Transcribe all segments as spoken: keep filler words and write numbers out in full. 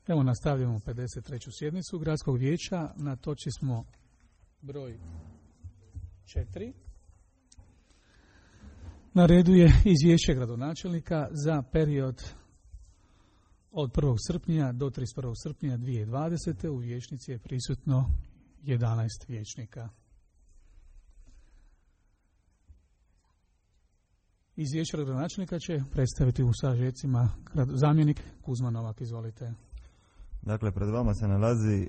Evo nastavljamo pedeset treću sjednicu Gradskog vijeća. Na točci smo broj četiri. Na redu je izvješće gradonačelnika za period od prvog srpnja do trideset prvog srpnja dvije tisuće dvadesete. U vijećnici je prisutno jedanaest vijećnika. Izvješće gradonačelnika će predstaviti u sažecima zamjenik Kuzma Novak. Izvolite. Dakle, pred vama se nalazi e,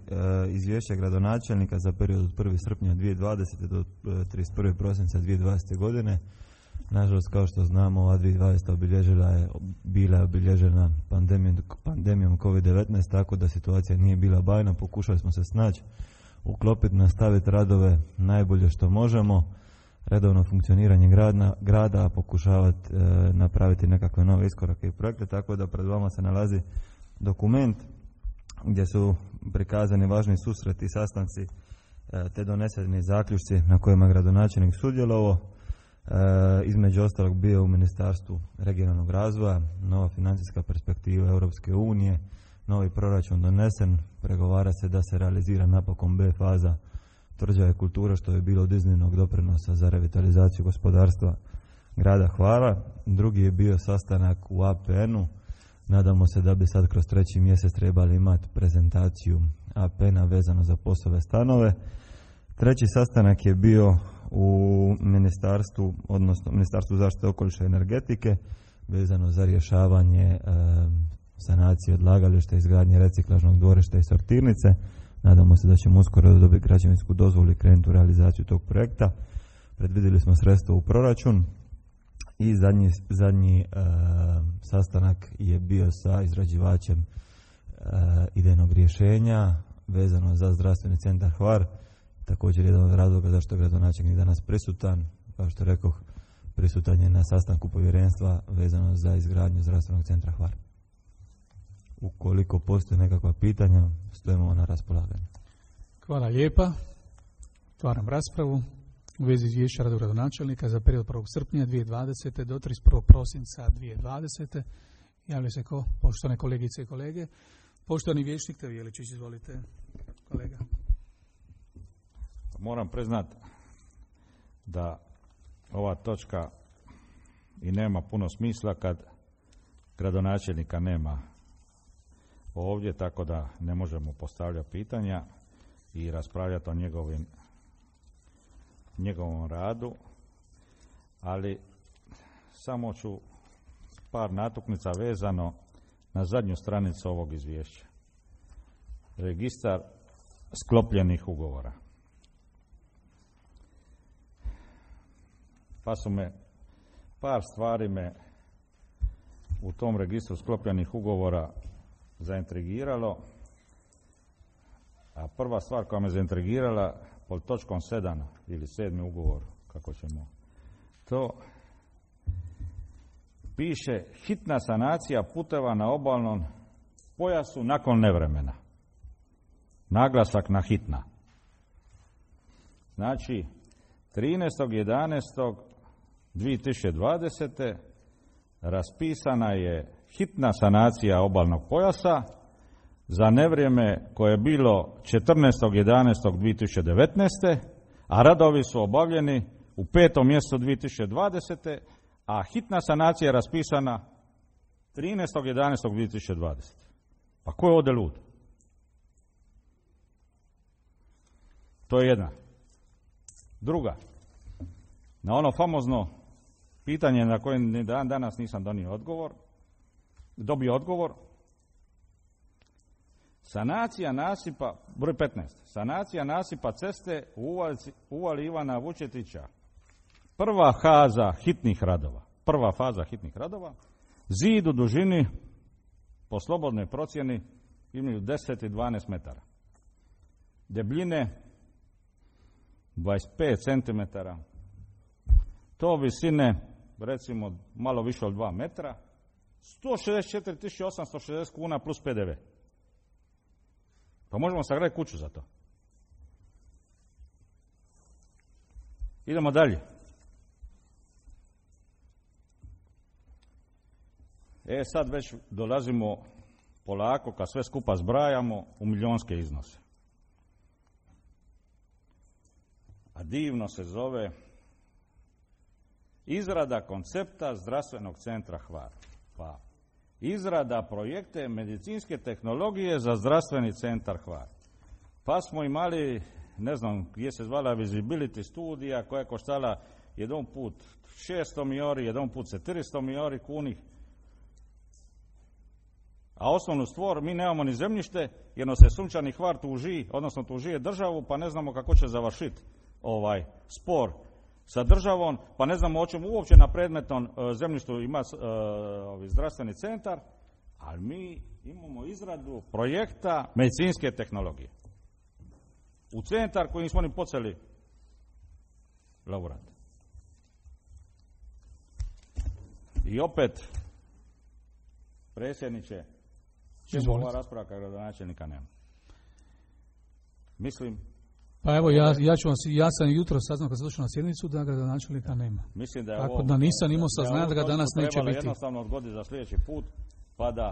izvješće gradonačelnika za period od prvog srpnja dvije tisuće dvadesete do trideset prvog prosinca dvije tisuće dvadesete godine. Nažalost, kao što znamo, ova dvije tisuće dvadeseta obilježila je, bila je obilježena pandemijom, pandemijom kovid devetnaest, tako da situacija nije bila bajna. Pokušali smo se snaći, uklopiti, nastaviti radove najbolje što možemo, redovno funkcioniranje grada, grada pokušavati e, napraviti nekakve nove iskorake i projekte, tako da pred vama se nalazi dokument gdje su prikazani važni susreti i sastanci e, te doneseni zaključci na kojima gradonačelnik sudjelovao. E, između ostalog bio u Ministarstvu regionalnog razvoja, nova financijska perspektiva Europske unije, novi proračun donesen, pregovara se da se realizira napokon B faza tvrđave kulture, što je bilo od iznimnog doprinosa za revitalizaciju gospodarstva grada Hvara. Drugi je bio sastanak u A P N-u. Nadamo se da bi sad kroz treći mjesec trebali imati prezentaciju A P N-a vezano za POS-ove stanove. Treći sastanak je bio u ministarstvu, odnosno Ministarstvu zaštite okoliša i energetike, vezano za rješavanje e, sanacije odlagališta, izgradnje reciklažnog dvorišta i sortirnice. Nadamo se da ćemo uskoro dobiti građevinsku dozvolu i krenuti u realizaciju tog projekta. Predvidjeli smo sredstva u proračun. I zadnji, zadnji e, sastanak je bio sa izrađivačem e, idejnog rješenja vezano za zdravstveni centar Hvar. Također jedan od razloga zašto je gradonačelnik danas prisutan. Kao što rekoh, prisutan je na sastanku povjerenstva vezano za izgradnju zdravstvenog centra Hvar. Ukoliko postoje nekakva pitanja, stojimo na raspolaganju. Hvala lijepa. Otvaram raspravu u vezi izvješća rada gradonačelnika za period prvog srpnja dvije tisuće dvadesete do trideset prvog prosinca dvije tisuće dvadesete. Javlja se ko? Poštovane kolegice i kolege. Poštovani vijećnik Tev Jeličić, izvolite, kolega. Moram priznat da ova točka i nema puno smisla kad gradonačelnika nema ovdje, tako da ne možemo postavljati pitanja i raspravljati o njegovim njegovom radu, ali samo ću par natuknica vezano na zadnju stranicu ovog izvješća. Registar sklopljenih ugovora. Pa su me, par stvari me u tom registru sklopljenih ugovora zaintrigiralo, a prva stvar koja me zaintrigirala pod točkom sedam ili sedmi ugovor, kako ćemo to, piše hitna sanacija puteva na obalnom pojasu nakon nevremena. Naglasak na hitna. Znači, trinaestog jedanaestog dvije tisuće dvadesete raspisana je hitna sanacija obalnog pojasa za nevrijeme koje je bilo četrnaestog jedanaestog dvije tisuće devetnaeste. a radovi su obavljeni u petom mjesecu dvije tisuće dvadesete. a hitna sanacija je raspisana trinaestog jedanaestog dvije tisuće dvadesete. Pa ko je ovdje lud? To je jedna. Druga, na ono famozno pitanje na koje ni dan danas nisam donio odgovor, dobio odgovor, sanacija nasipa, broj petnaest, sanacija nasipa ceste u uvali, uvali Ivana Vučetića, prva faza hitnih radova, prva faza hitnih radova, zid u dužini po slobodnoj procjeni imaju deset i dvanaest metara, debljine dvadeset pet centimetara, to visine recimo malo više od dva metra, sto šezdeset četiri tisuće osamsto šezdeset kuna plus P D V. Pa možemo sagraditi kuću za to. Idemo dalje. E sad već dolazimo polako, kad sve skupa zbrajamo, u milionske iznose. A divno se zove izrada koncepta zdravstvenog centra Hvar. Pa izrada projekte medicinske tehnologije za zdravstveni centar Hvar. Pa smo imali, ne znam gdje se zvala visibility studija koja je koštala jedan put šesto milijuna, jedan put četiristo milijuna kunih. A osnovnu stvar, mi nemamo ni zemljište, jer nas se Sunčani Hvar tuži, odnosno tužije državu, pa ne znamo kako će završiti ovaj spor sa državom, pa ne znamo o čemu uopće na predmetnom uh, zemljištu ima uh, ovaj zdravstveni centar, ali mi imamo izradu projekta medicinske tehnologije. U centar kojim smo oni počeli laborat. I opet, predsjedniče, čemu ova rasprava kao gradonačelnika nema? Mislim... Pa evo, ja, ja, ću vam, ja sam jutro saznao kad sam došao na sjednicu da gradonačelnika nema. Mislim da je tako ovo, da nisam imao saznanja da ga danas neće biti. Jednostavno odgoditi za sljedeći put, pa da...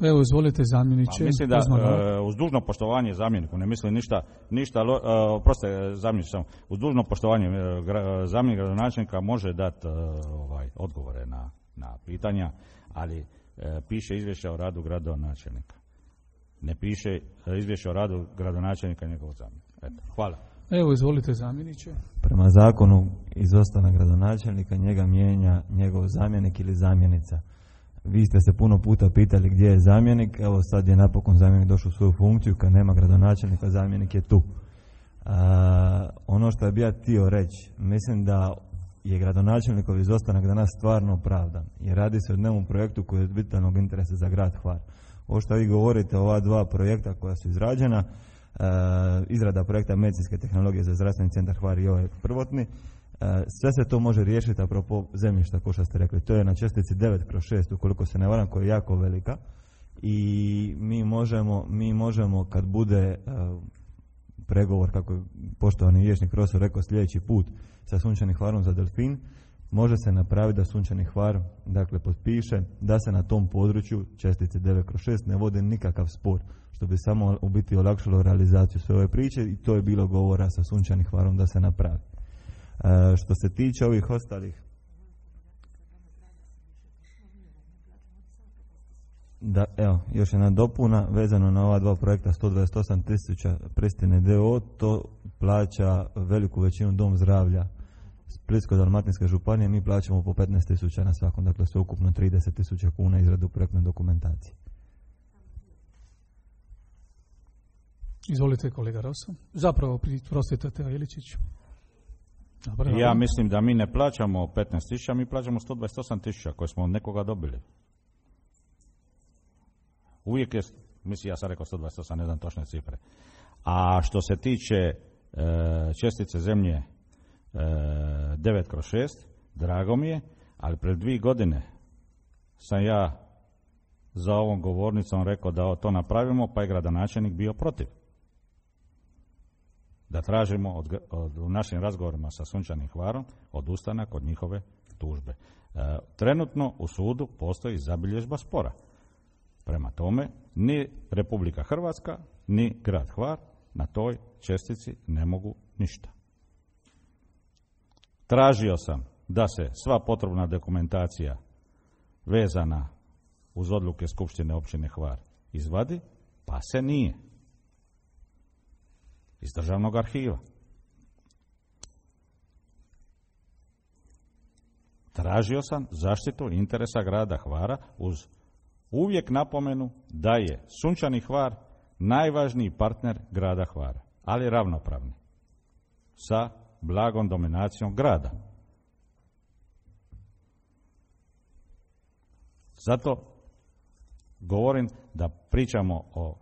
Evo, izvolite zamjeniče. Pa mislim da, uh, uz dužno poštovanje zamjeniku, ne mislim ništa, ništa uh, proste zamjeniče samo, uz dužno poštovanje uh, gra, zamjenik gradonačelnika može dati uh, ovaj, odgovore na, na pitanja, ali uh, piše izvješće o radu gradonačelnika. Ne piše izvješće o radu gradonačelnika njegovog zamjenika. Eto, hvala. Evo, izvolite zamjeniče. Prema zakonu izostanak gradonačelnika njega mijenja njegov zamjenik ili zamjenica. Vi ste se puno puta pitali gdje je zamjenik, evo sad je napokon zamjenik došao u svoju funkciju, kad nema gradonačelnika zamjenik je tu. A, ono što bi ja htio reći, mislim da je gradonačelnikov izostanak danas stvarno opravdan, jer radi se o dnevnom projektu koji je od vitalnog interesa za grad Hvar. Ovo što vi govorite, ova dva projekta koja su izrađena, e, izrada projekta medicinske tehnologije za zdravstveni centar Hvar i ovaj prvotni, e, sve se to može riješiti apropo zemljišta, kao što ste rekli. To je na čestici devet kroz šest, ukoliko se ne varam, koja je jako velika. I mi možemo, mi možemo kad bude e, pregovor, kako je poštovani vijećnik profesor rekao, sljedeći put sa Sunčanim Hvarom za Delfin, može se napraviti da Sunčani Hvar, dakle, potpiše da se na tom području čestice devet kroz šest ne vode nikakav spor, što bi samo u biti olakšalo realizaciju sve ove priče i to je bilo govora sa Sunčanim Hvarom da se napravi. E, što se tiče ovih ostalih, da, evo, još jedna dopuna vezano na ova dva projekta, sto dvadeset osam tisuća Pristine d o o, to plaća veliku većinu Dom zdravlja Splitsko-dalmatinske županije, mi plaćamo po petnaest tisuća na svakom, dakle sve ukupno trideset tisuća kuna izradu projektne dokumentacije. Izvolite kolega Roso. Zapravo, prostite Teo Iličić. Dobar, ja dobro. Mislim da mi ne plaćamo petnaest tisuća, mi plaćamo sto dvadeset osam tisuća koje smo od nekoga dobili. Uvijek je, mislim, ja sam rekao sto dvadeset osam, ne znam točne cifre. A što se tiče e, čestice zemlje devet kroz šest, drago mi je, ali pred dvije godine sam ja za ovom govornicom rekao da to napravimo, pa je gradonačelnik bio protiv. Da tražimo od, od, u našim razgovorima sa Sunčanim Hvarom odustanak od njihove tužbe. E, trenutno u sudu postoji zabilježba spora. Prema tome, ni Republika Hrvatska, ni grad Hvar na toj čestici ne mogu ništa. Tražio sam da se sva potrebna dokumentacija vezana uz odluke Skupštine općine Hvar izvadi, pa se nije. Iz državnog arhiva. Tražio sam zaštitu interesa grada Hvara uz uvijek napomenu da je Sunčani Hvar najvažniji partner grada Hvara, ali ravnopravni sa blagom dominacijom grada. Zato govorim da pričamo o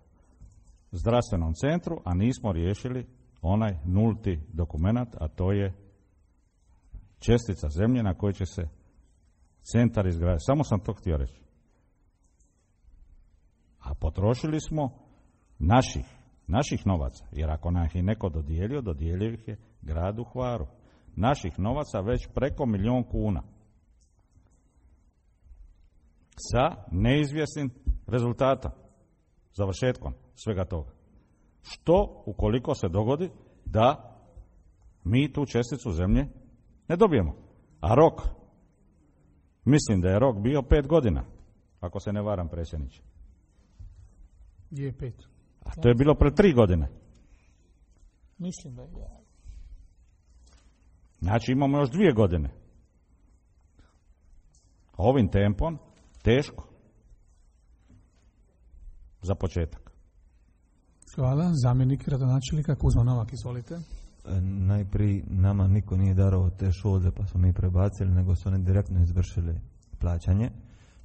zdravstvenom centru, a nismo riješili onaj nulti dokumenat, a to je čestica zemlje na kojoj će se centar izgraditi. Samo sam to htio reći. A potrošili smo naših, naših novaca, jer ako nam ih je neko dodijelio, dodijelio ih je gradu Hvaru. Naših novaca već preko milijun kuna. sa neizvjesnim rezultatom, završetkom svega toga. Što ukoliko se dogodi da mi tu česticu zemlje ne dobijemo? A rok, mislim da je rok bio pet godina, ako se ne varam, predsjedniče. Je pet. A to je bilo pred tri godine. Mislim da je. Znači imamo još dvije godine. Ovim tempom teško. Za početak. Hvala. Zamjenik gradonačelnika Kuzma Novak, izvolite. E, najprije nama niko nije darovao te šolde pa smo mi prebacili, nego su oni direktno izvršili plaćanje.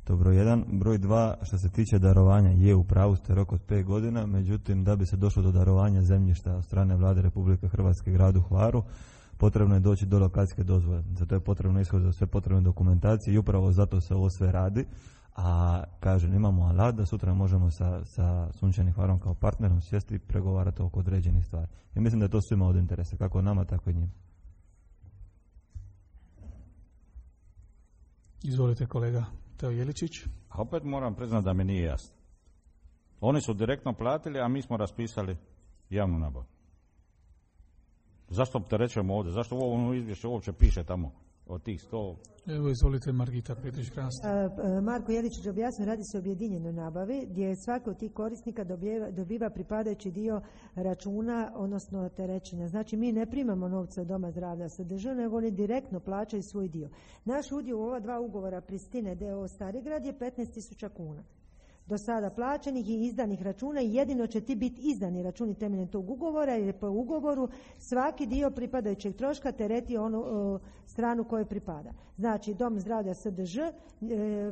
To je broj jedan. Broj dva, što se tiče darovanja, je u pravu ste rok od pet godina, međutim da bi se došlo do darovanja zemljišta od strane Vlade Republike Hrvatske gradu Hvaru, potrebno je doći do lokacijske dozvole. Zato je potrebno ishoditi sve potrebne dokumentacije i upravo zato se ovo sve radi. A kažem, imamo alat da sutra možemo sa, sa Sunčanim Hvarom kao partnerom sjesti i pregovarati oko određenih stvari. I mislim da je to svima od interesa, kako nama, tako i njima. Izvolite kolega Teo Jeličić. A opet moram priznati da mi nije jasno. Oni su direktno platili, a mi smo raspisali javnu nabavu. Zašto opterećujemo ovdje? Zašto u ovom izvješću uopće piše tamo od tih sto? Evo, izvolite Margita Petrić-Krast. Marko Jeličić objasnio, radi se o objedinjenoj nabavi gdje svaki od tih korisnika dobiva, dobiva pripadajući dio računa, odnosno terećenja. Znači mi ne primamo novce od Doma zdravlja S D Ž, nego oni direktno plaćaju svoj dio. Naš udio u ova dva ugovora Pristine D O O Starigrad je petnaest tisuća kuna. Do sada plaćenih i izdanih računa i jedino će ti biti izdani računi temeljem tog ugovora, jer je po ugovoru svaki dio pripadajućeg troška tereti onu o, stranu kojoj pripada. Znači Dom zdravlja S D Ž, e,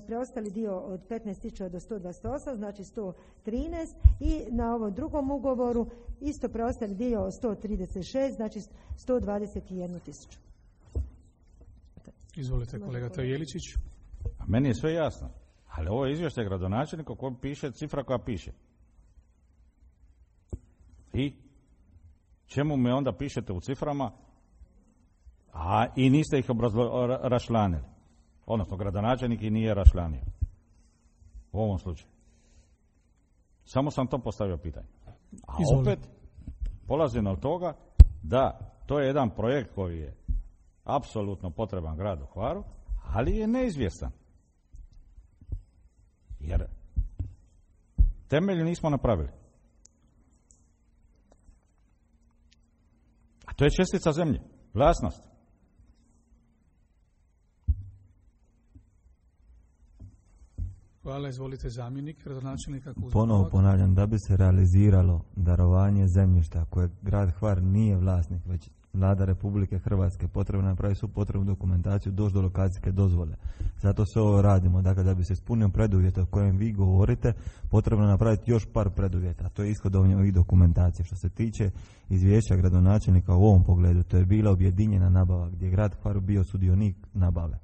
preostali dio od petnaest tisuća do sto dvadeset osam, znači sto trinaest, i na ovom drugom ugovoru isto preostali dio od sto trideset šest, znači sto dvadeset jedna tisuća. Izvolite kolega Teo Jeličić. A meni je sve jasno. Ali ovo je izvješće gradonačelnika u kojem piše cifra koja piše. I čemu me onda pišete u ciframa, a i niste ih obrazlo- rašlanili? Odnosno, gradonačelnik i nije rašlanio. U ovom slučaju. Samo sam to postavio pitanje. A Izvolite. opet polazim od toga da to je jedan projekt koji je apsolutno potreban gradu Hvaru, ali je neizvjestan. Jer temelje nismo napravili. A to je čestica zemlje, vlasnost. Hvala, izvolite zamjenik gradonačelnika Kuzma. Ponovo ponavljam, da bi se realiziralo darovanje zemljišta koje grad Hvar nije vlasnik, već Vlada Republike Hrvatske, potrebno napraviti svu potrebnu dokumentaciju, doći do lokacijske dozvole. Zato sve ovo radimo. Dakle, da bi se ispunio preduvjete o kojem vi govorite, potrebno napraviti još par preduvjeta. To je ishodovanje ovih dokumentacija. Što se tiče izvješća gradonačelnika u ovom pogledu, to je bila objedinjena nabava gdje je grad Hvar bio sudionik nabave.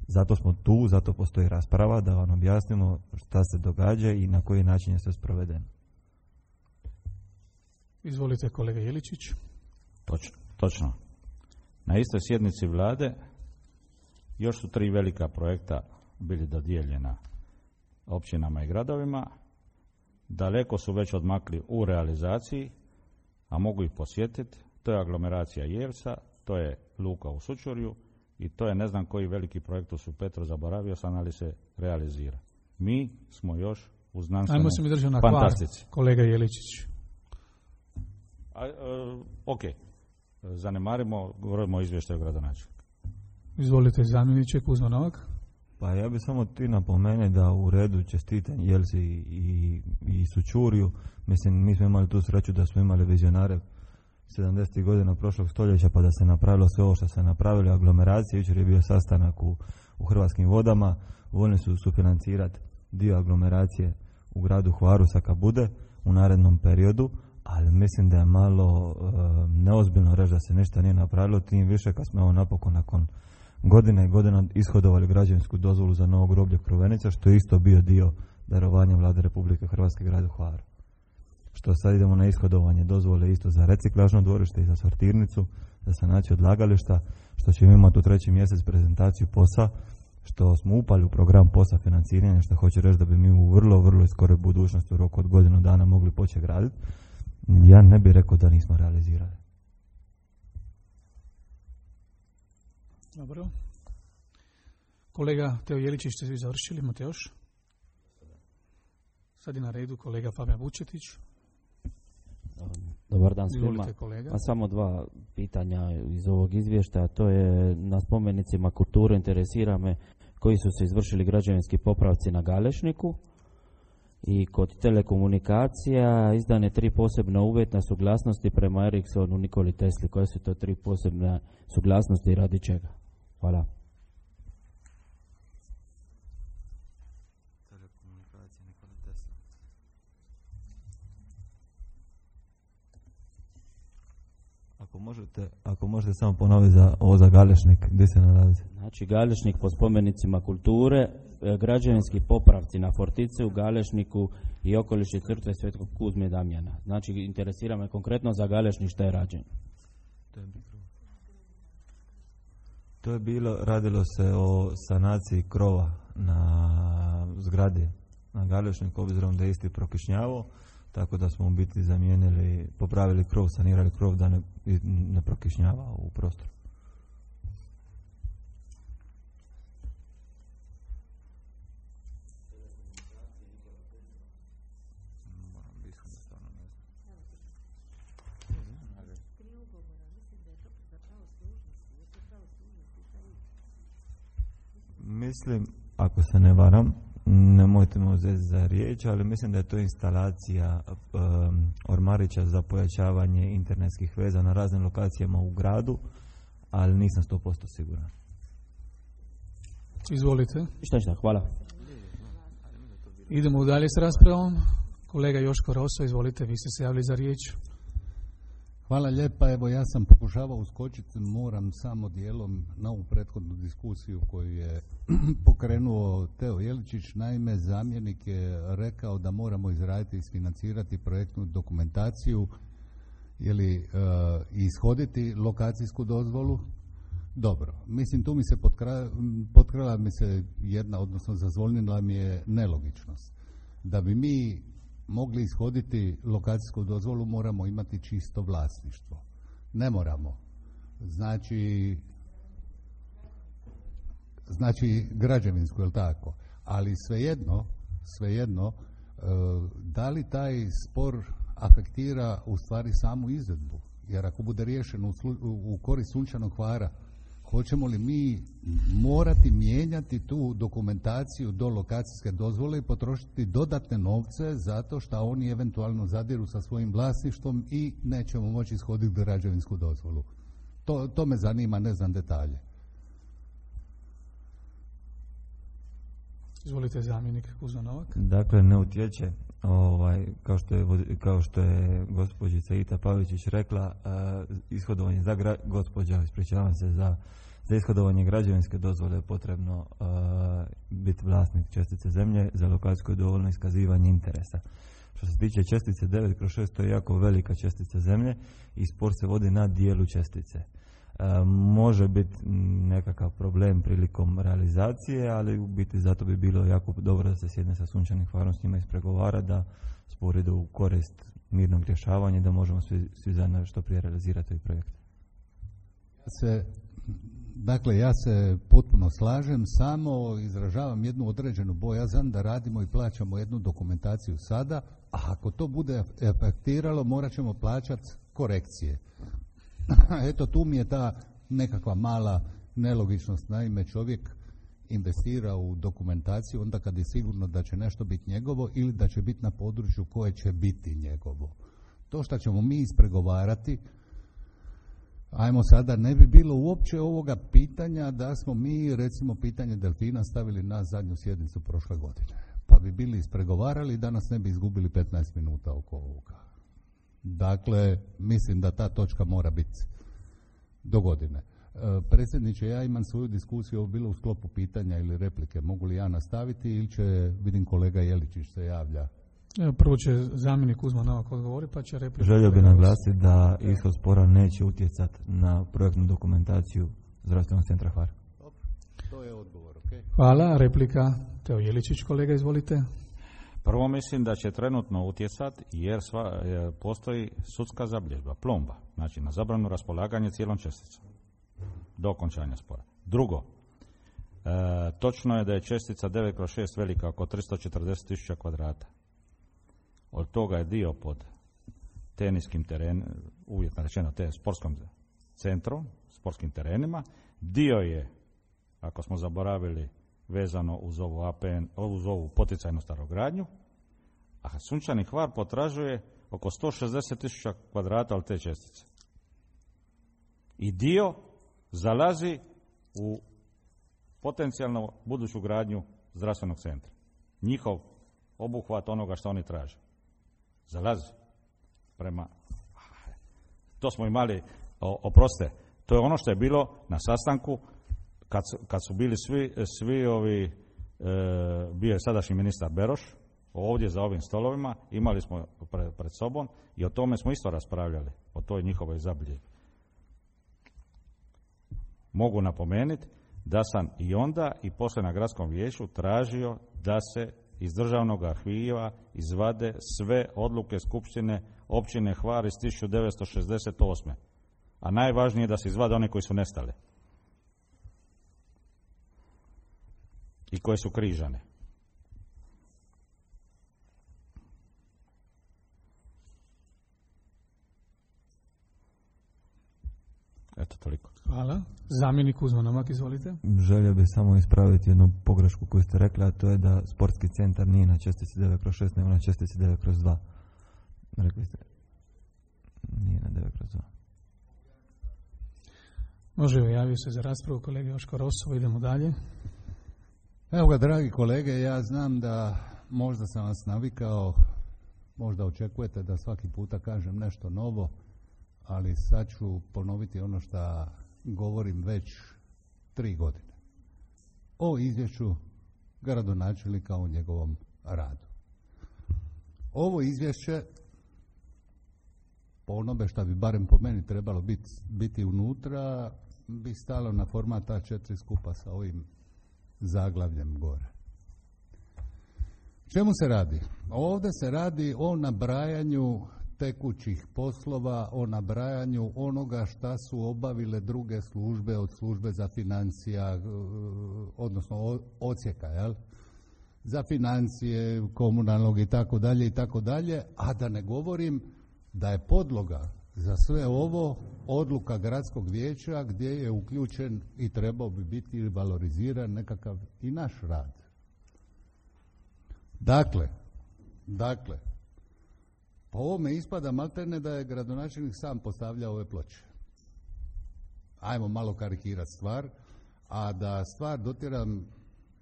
Zato smo tu, zato postoji rasprava da vam objasnimo šta se događa i na koji način je sve sprovedeno. Izvolite kolega Jeličić. Točno, točno. Na istoj sjednici vlade još su tri velika projekta bili dodijeljena općinama i gradovima. Daleko su već odmakli u realizaciji, a mogu ih posjetiti. To je aglomeracija Jevsa, to je luka u Sučurju i to je ne znam koji veliki projekt u Supetru, zaboravio sam, ali se realizira. Mi smo još u znanstvenoj Ajmo se mi držati na fantastici. Hvar, kolega Jeličić. A, e, ok, zanemarimo, govorimo o izvještaju gradonačelnika. Izvolite zamjeniče Kuzma Novak. Pa ja bih samo ti napomene da u redu čestitam Jelsi i, i, i Sučurju. Mislim, mi smo imali tu sreću da smo imali vizionare sedamdesetih godina prošlog stoljeća, pa da se napravilo sve ovo što se napravilo, aglomeracije. Jučer je bio sastanak u, u Hrvatskim vodama, voljni su sufinancirati dio aglomeracije u gradu Hvaru sa bude u narednom periodu, ali mislim da je malo e, neozbiljno reći da se ništa nije napravilo, tim više kad smo evo napokon nakon godine i godina ishodovali građevinsku dozvolu za novo groblje Krovenica, što je isto bio dio darovanja Vlade Republike Hrvatske gradu Hvaru. Što sad idemo na ishodovanje dozvole isto za reciklažno dvorište i za sortirnicu, za sanaciju odlagališta, što ćemo imati u treći mjesec prezentaciju POS-a, što smo upali u program POS-a financiranja, što hoće reći da bi mi u vrlo, vrlo skoroj budućnosti u roku od godinu dana mogli početi graditi, ja ne bih rekao da nismo realizirali. Dobro. Kolega Teo Jeličić, ste vi završili, imate još? Sad je na redu kolega Fabijan Vučetić. Dobar dan svima. Izvolite, kolega. A samo dva pitanja iz ovog izvještaja. To je na spomenicima kulture, interesira me koji su se izvršili građevinski popravci na Galešniku. I kod telekomunikacija izdane tri posebne uvjetna suglasnosti prema Ericssonu Nikoli Tesli. Koje su to tri posebne suglasnosti i radi čega? Hvala. Ako možete, ako možete samo ponoviti za ovo za Galešnik, gdje se nalazi? Znači Galešnik po spomenicima kulture, građevinski popravci na Fortice u Galešniku i okoliši crkve Svetog Kuzme i Damjana. Znači interesira me konkretno za Galešnik šta je rađeno. To je bilo, radilo se o sanaciji krova na zgradi na Galešniku, obzirom da je isti prokišnjavao, tako da smo u biti zamijenili, popravili krov, sanirali krov da ne, ne prokišnjava u prostoru. Mislim, ako se ne varam, nemojte me uzeti za riječ, ali mislim da je to instalacija um, ormarića za pojačavanje internetskih veza na raznim lokacijama u gradu, ali nisam sto posto siguran. Izvolite. Šta šta, hvala. Idemo dalje s raspravom. Kolega Joško Roso, izvolite, vi ste se javili za riječ. Hvala lijepa, evo ja sam pokušavao uskočiti, moram samo dijelom na ovu prethodnu diskusiju koju je pokrenuo Teo Jeličić. Naime, zamjenik je rekao da moramo izraditi i isfinancirati projektnu dokumentaciju ili e, ishoditi lokacijsku dozvolu. Dobro, mislim tu mi se potkra, potkrala mi se jedna, odnosno zazvonila mi je nelogičnost. Da bi mi mogli ishoditi lokacijsku dozvolu moramo imati čisto vlasništvo. Ne moramo. Znači, znači građevinsku, jel tako? Ali svejedno, svejedno, e, da li taj spor afektira u stvari samu izvedbu? Jer ako bude riješeno u, slu, u korist Sunčanog Hvara, hoćemo li mi morati mijenjati tu dokumentaciju do lokacijske dozvole i potrošiti dodatne novce zato što oni eventualno zadiru sa svojim vlasništvom i nećemo moći ishoditi građevinsku dozvolu? To, to me zanima, ne znam detalje. Izvolite, zamjenik Kuzma Novak. Dakle, ne utječe, ovaj, kao što je, kao što je gospođica Ita Pavičić rekla, uh, ishodovanje za gra, gospođa, ispričavam se, za, za ishodovanje građevinske dozvole je potrebno uh, biti vlasnik čestice zemlje, za lokacijsko je dovoljno iskazivanje interesa. Što se tiče čestice devet kroz šest, to je jako velika čestica zemlje i spor se vodi na dijelu čestice. E, može biti nekakav problem prilikom realizacije, ali u biti zato bi bilo jako dobro da se sjedne sa Sunčanim Hvarom, s njima ispregovara, da spor ide u korist mirnog rješavanja i da možemo svi, svi zajedno što prije realizirati ovaj projekt. Ja se, dakle, ja se potpuno slažem, samo izražavam jednu određenu bojazan da radimo i plaćamo jednu dokumentaciju sada, a ako to bude efektiralo, morat ćemo plaćati korekcije. Eto, tu mi je ta nekakva mala nelogičnost. Naime, čovjek investira u dokumentaciju onda kad je sigurno da će nešto biti njegovo ili da će biti na području koje će biti njegovo. To što ćemo mi ispregovarati, ajmo sada, ne bi bilo uopće ovoga pitanja da smo mi, recimo, pitanje delfina stavili na zadnju sjednicu prošle godine. Pa bi bili ispregovarali i danas ne bi izgubili petnaest minuta oko ovoga. Dakle, mislim da ta točka mora biti do godine. E, predsjedniče, ja imam svoju diskusiju, ovo bilo u sklopu pitanja ili replike. Mogu li ja nastaviti ili će, vidim kolega Jeličić se javlja? Evo, prvo će zamjenik Kuzma Novak odgovori, pa će replika. Želio bih naglasiti da ishod spora neće utjecati na projektnu dokumentaciju Zdravstvenog centra Hvar. To je odgovor, ok? Hvala. Replika Teo Jeličić, kolega, izvolite. Prvo mislim da će trenutno utjecati jer sva, je, postoji sudska zabilježba, plomba, znači na zabranu raspolaganje cijelom česticom do okončanja spora. Drugo, e, točno je da je čestica devet kroz šest velika oko tristo četrdeset tisuća kvadrata. Od toga je dio pod teniskim terenom, uvjetno rečeno te sportskom centrom, sportskim terenima. Dio je, ako smo zaboravili, vezano uz ovu A P N, uz ovu poticajnu starogradnju, a Sunčani Hvar potražuje oko sto šezdeset tisuća kvadrata od te čestice. I dio zalazi u potencijalno buduću gradnju zdravstvenog centra. Njihov obuhvat onoga što oni traže. Zalazi prema... To smo imali, oproste, to je ono što je bilo na sastanku kad su, kad su bili svi, svi ovi, e, bio je sadašnji ministar Beroš, ovdje za ovim stolovima, imali smo pre, pred sobom i o tome smo isto raspravljali, o toj njihovoj zabilježbi. Mogu napomenuti da sam i onda i poslije na gradskom vijeću tražio da se iz državnog arhiva izvade sve odluke Skupštine općine Hvar iz tisuću devetsto šezdeset osme. A najvažnije je da se izvade one koji su nestale i koje su križane. Eto, toliko. Hvala. Zamjenik Kuzma Novak, izvolite. Želio bih samo ispraviti jednu pogrešku koju ste rekli, a to je da sportski centar nije na čestici devet kroz šest, nego na čestici devet kroz dva. Rekli ste, nije na devet kroz dva. Može, javio se za raspravu kolega Joško Rosovo, idemo dalje. Evo ga, dragi kolege, ja znam da možda sam vas navikao, možda očekujete da svaki puta kažem nešto novo, ali sad ću ponoviti ono što govorim već tri godine. O izvješću gradonačelnika o njegovom radu. Ovo izvješće, po onome što bi barem po meni trebalo biti, biti unutra, bi stalo na format A četiri skupa sa ovim zaglavljem gore. Čemu se radi? Ovdje se radi o nabrajanju tekućih poslova, o nabrajanju onoga šta su obavile druge službe od službe za financija, odnosno odsjeka, jel? Za financije, komunalnog i tako dalje i tako dalje, a da ne govorim da je podloga za sve ovo odluka gradskog vijeća gdje je uključen i trebao bi biti valoriziran nekakav i naš rad. Dakle, dakle, po ovome ispada maltene da je gradonačelnik sam postavljao ove ploče. Ajmo malo karikirati stvar, a da stvar dotjeram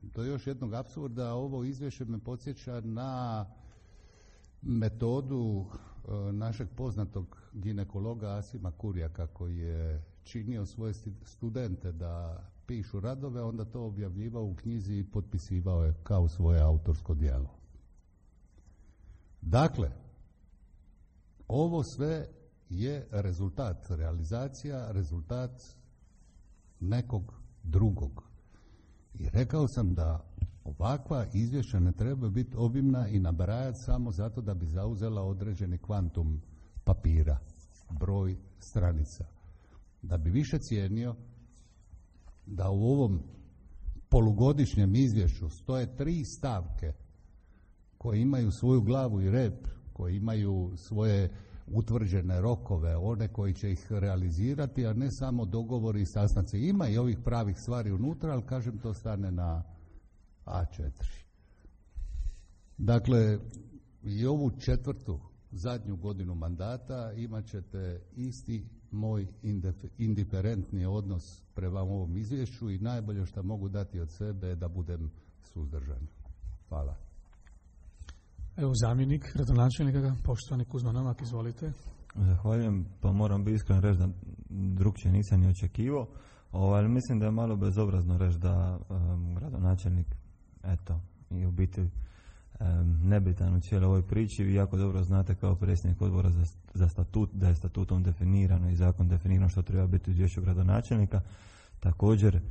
do još jednog apsurda, ovo izvješće me podsjeća na metodu e, našeg poznatog ginekologa Asima Kurjaka, koji je činio svoje studente da pišu radove, onda to objavljivao u knjizi i potpisivao je kao svoje autorsko djelo. Dakle, ovo sve je rezultat, realizacija, rezultat nekog drugog. I rekao sam da ovakva izvješća ne treba biti obimna i nabrajati samo zato da bi zauzela određeni kvantum papira, broj stranica. Da bi više cijenio da u ovom polugodišnjem izvješću stoje tri stavke koje imaju svoju glavu i rep, koji imaju svoje utvrđene rokove, one koji će ih realizirati, a ne samo dogovori i sastanci. Ima i ovih pravih stvari unutra, ali kažem, to stane na A četiri. Dakle, i ovu četvrtu, zadnju godinu mandata imat ćete isti moj indiferentni odnos prema ovom izvješću i najbolje što mogu dati od sebe je da budem suzdržan. Hvala. Evo zamjenik gradonačelnika, poštovani Kuzma Novak, izvolite. Zahvaljujem, pa moram biti iskren reći da drugčije nisam ni očekivao, ali mislim da je malo bezobrazno reći da um, gradonačelnik, eto, i u biti um, nebitan u cijeloj ovoj priči. Vi jako dobro znate kao predsjednik odbora za, za statut, da je statutom definirano i zakon definirano što treba biti u izvješću gradonačelnika. Također,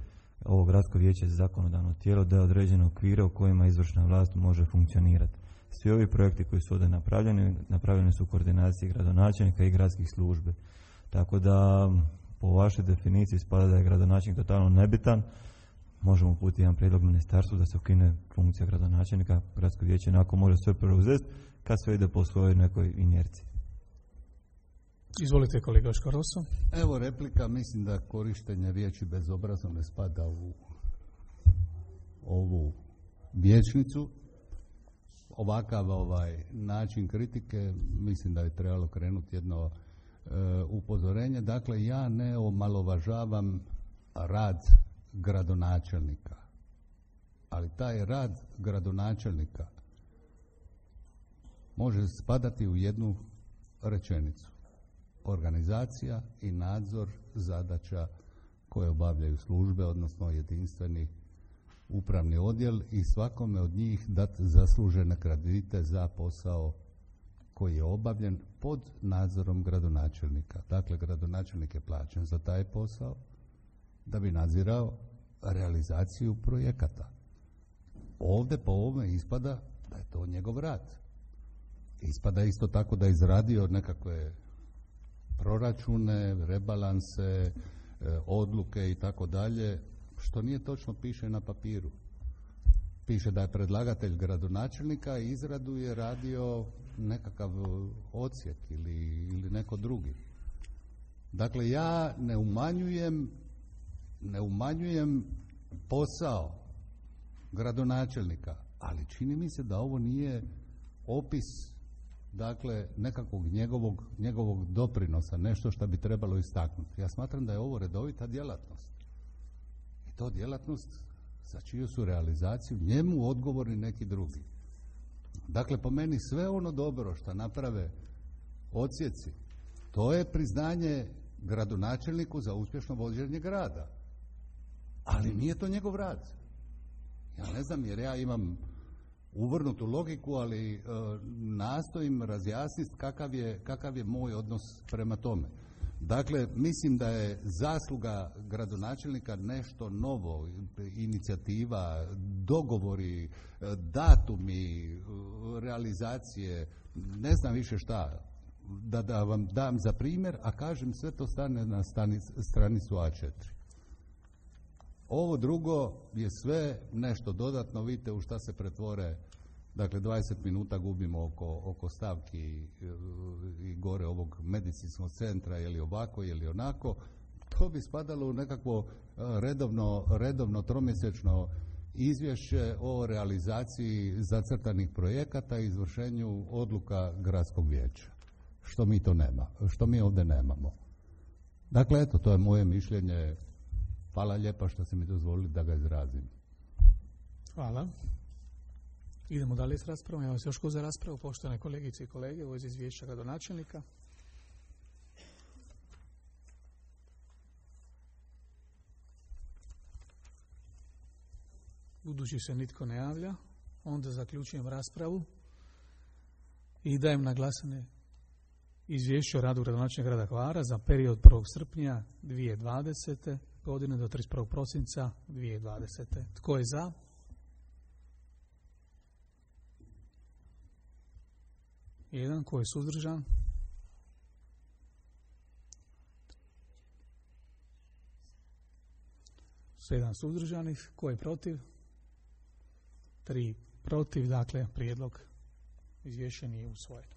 Ovo gradsko vijeće je zakonodavno tijelo da je određeno okvire u kojima izvršna vlast može funkcionirati. Svi ovi projekti koji su ovdje napravljeni, napravljeni su u koordinaciji gradonačelnika i gradskih službe. Tako da po vašoj definiciji spada da je gradonačelnik totalno nebitan. Možemo uputiti jedan prijedlog ministarstvu da se ukine funkcija gradonačelnika, gradsko vijeće nakon može sve preuzeti kad sve ide po svojoj nekoj inerciji. Izvolite kolega Škaroso. Evo replika, mislim da korištenje riječi bezobrazno ne spada u ovu vijećnicu. Ovakav ovaj način kritike, mislim da je trebalo krenuti jedno e, upozorenje. Dakle, ja ne omalovažavam rad gradonačelnika, ali taj rad gradonačelnika može spadati u jednu rečenicu. Organizacija i nadzor zadaća koje obavljaju službe, odnosno jedinstveni upravni odjel i svakome od njih dati zaslužene kredite za posao koji je obavljen pod nadzorom gradonačelnika. Dakle, gradonačelnik je plaćen za taj posao da bi nadzirao realizaciju projekata. Ovdje po ovome ispada da je to njegov rad. Ispada isto tako da je izradio nekakve proračune, rebalanse, odluke i tako dalje, što nije točno piše na papiru. Piše da je predlagatelj gradonačelnika i izradu je radio nekakav odsjek ili, ili neko drugi. Dakle, ja ne umanjujem ne umanjujem posao gradonačelnika, ali čini mi se da ovo nije opis, dakle, nekakvog njegovog, njegovog doprinosa, nešto što bi trebalo istaknuti. Ja smatram da je ovo redovita djelatnost. I to djelatnost za čiju su realizaciju njemu odgovorni neki drugi. Dakle, po meni sve ono dobro što naprave odsjeci, to je priznanje gradonačelniku za uspješno vođenje grada. Ali nije to njegov rad. Ja ne znam, jer ja imam uvrnutu logiku, ali e, nastojim razjasniti kakav je, kakav je moj odnos prema tome. Dakle, mislim da je zasluga gradonačelnika nešto novo, inicijativa, dogovori, datumi, realizacije, ne znam više šta, da, da vam dam za primjer, a kažem sve to stane na stanic, stranicu A četiri. Ovo drugo je sve nešto dodatno, vidite u šta se pretvore, dakle dvadeset minuta gubimo oko, oko stavki i, i gore ovog medicinskog centra, je li ovako, je li onako, to bi spadalo u nekakvo redovno, redovno tromjesečno izvješće o realizaciji zacrtanih projekata i izvršenju odluka gradskog vijeća. Što mi to nema, što mi ovdje nemamo. Dakle, eto, to je moje mišljenje. Hvala lijepa što ste mi dozvolili da ga izrazim. Hvala. Idemo dalje s raspravom. Ja vas još ko za raspravu, poštovane kolegice i kolege, ovo je izvješća gradonačelnika. Budući se nitko ne javlja, onda zaključujem raspravu i dajem na glasanje izvješće o radu gradonačelnika grada Hvara za period prvog srpnja dvije tisuće dvadesete godine do trideset prvog prosinca dvije tisuće dvadesete. Tko je za? Jedan. Tko je suzdržan? Sedam suzdržanih. Tko je protiv? Tri protiv. Dakle, prijedlog izvješća nije usvojen.